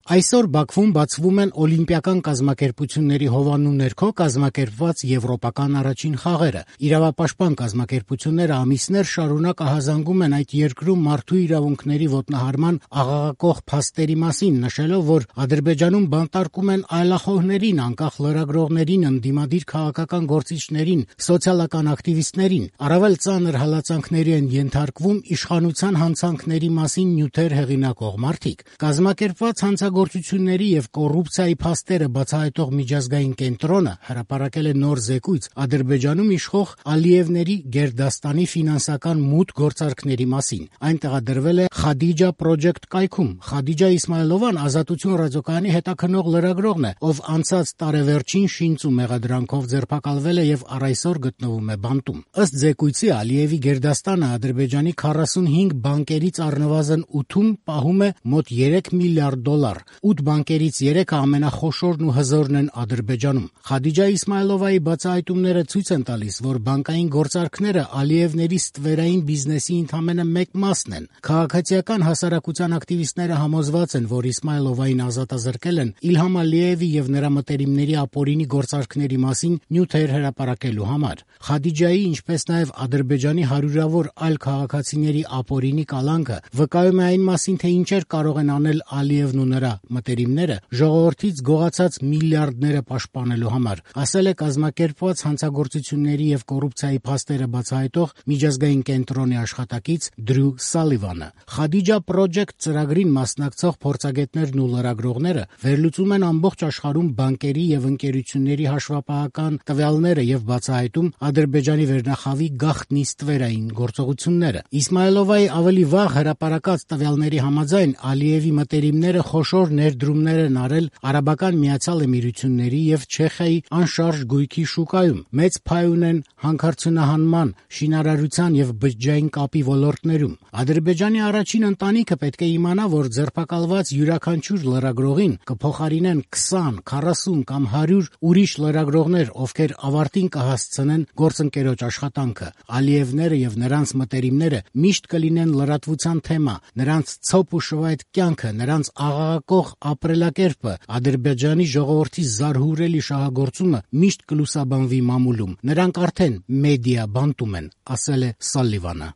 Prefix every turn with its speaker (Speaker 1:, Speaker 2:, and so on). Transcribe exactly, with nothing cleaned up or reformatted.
Speaker 1: Այսօր Բաքվում բացվում են օլիմպիական կազմակերպությունների հովանու ներքո կազմակերպված եվրոպական առաջին խաղերը։ Իրավապաշտպան կազմակերպությունները ամիսներ շարունակ ահազանգում են այդ երկրում մարդու իրավունքների ոտնահարման աղաղակող փաստերի մասին, նշելով, որ Ադրբեջանում բանտարկում են այլախոհներին, անկախ լրագրողներին, ընդդիմադիր քաղաքական գործիչներին, սոցիալական ակտիվիստներին, առավել ծանր հալածանքների են ենթարկվում իշխանության հանցանքների մասին նյութեր հեղինակող մարդիկ։ Կազմակերպված հանցագործությունների եւ կոռուպցիայի փաստերը բացահայտող միջազգային կենտրոնը հրապարակել է նոր զեկույց Ադրբեջանում իշխող Ալիևների Գերդաստանի ֆինանսական մութ գործարքների մասին։ Այն տեղադրվել է Khadija Project կայքում։ Khadija Իսմայլովան Ազատություն ռադիոկայանի հետաքննող լրագրողն է, ով անցած տարեվերջին շինծ ու մեղադրանքով ձերբակալվել է եւ առ այսօր գտնվում է բանտում։ Ըստ զեկույցի Ալիևի Գերդաստանը Ադրբեջանի քառասունհինգ բանկերից առնվազն ութում պահում է մոտ երեք միլիարդ դոլար։ ութ բանկերից երեքը ամենախոշորն ու հզորն են Ադրբեջանում։ Khadija Իսմայլովայի բացահայտումները ցույց են տալիս, որ բանկային գործարքները Ալիևների ստվերային բիզնեսի ընդամենը մեկ մասն են։ Քաղաքացիական հասարակության ակտիվիստները համոզված են, որ Իսմայլովային ազատազրկել են Իլհամ Ալիևի եւ նրա մտերիմների ապօրինի գործարքների մասին նյութեր հրապարակելու համար։ Khadija-ի, ինչպես նաեւ Ադրբեջանի հարյուրավոր այլ քաղաքացիների ապօրինի կալանքը վկայում է այն մասին, թե ինչեր կարող են անել Ալիևն ու նրա մտերիմները ժողովրդից գողացած միլիարդները պաշտպանելու համար, ասել է կազմակերպված հանցագործությունների եւ կոռուպցիայի փաստերը բացահայտող միջազգային կենտրոնի աշխատակից Դրյու Սալիվանը։ Khadija Project ծրագրին մասնակցող փորձագետներն ու լրագրողները վերլուծում են ամբողջ աշխարհում բանկերի եւ ընկերությունների հաշվապահական տվյալները եւ բացահայտում Ադրբեջանի վերնախավի գաղտնի ստվերային գործողությունները։ Իսմայլովայի ավելի վաղ հրապարակած տվյալների համաձայն Ալիևի մտերիմները խոշոր ներդրումներ են արել Արաբական Միացյալ Էմիրությունների եւ Չեխիայի անշարժ գույքի շուկայում, մեծ փայ ունեն հանքարդյունահանման, շինարարության եւ բջջային կապի ոլորտներում։ Ադրբեջանի առաջին ընտանիքը պետք է իմանա, որ ձերբակալված յուրաքանչյուր լրագրողին կփոխարինեն քսան, քառասուն կամ հարյուր ուրիշ լրագրողներ, ովքեր ավարտին կհասցնեն գործընկերոջ աշխատանքը։ Ալիևները եւ նրանց մտերիմները միշտ կլինեն լրատվության թեմա, նրանց ցոփ ու շվայտ կյանքը, նրանց աղաղակող ապրելակերպը, Ադրբեջանի ժողովրդի զարհուրելի շահագործումը միշտ կլուսաբանվի մամուլում։ Նրանք արդեն մեդիա բանտում են, ասել է Սալիվանը։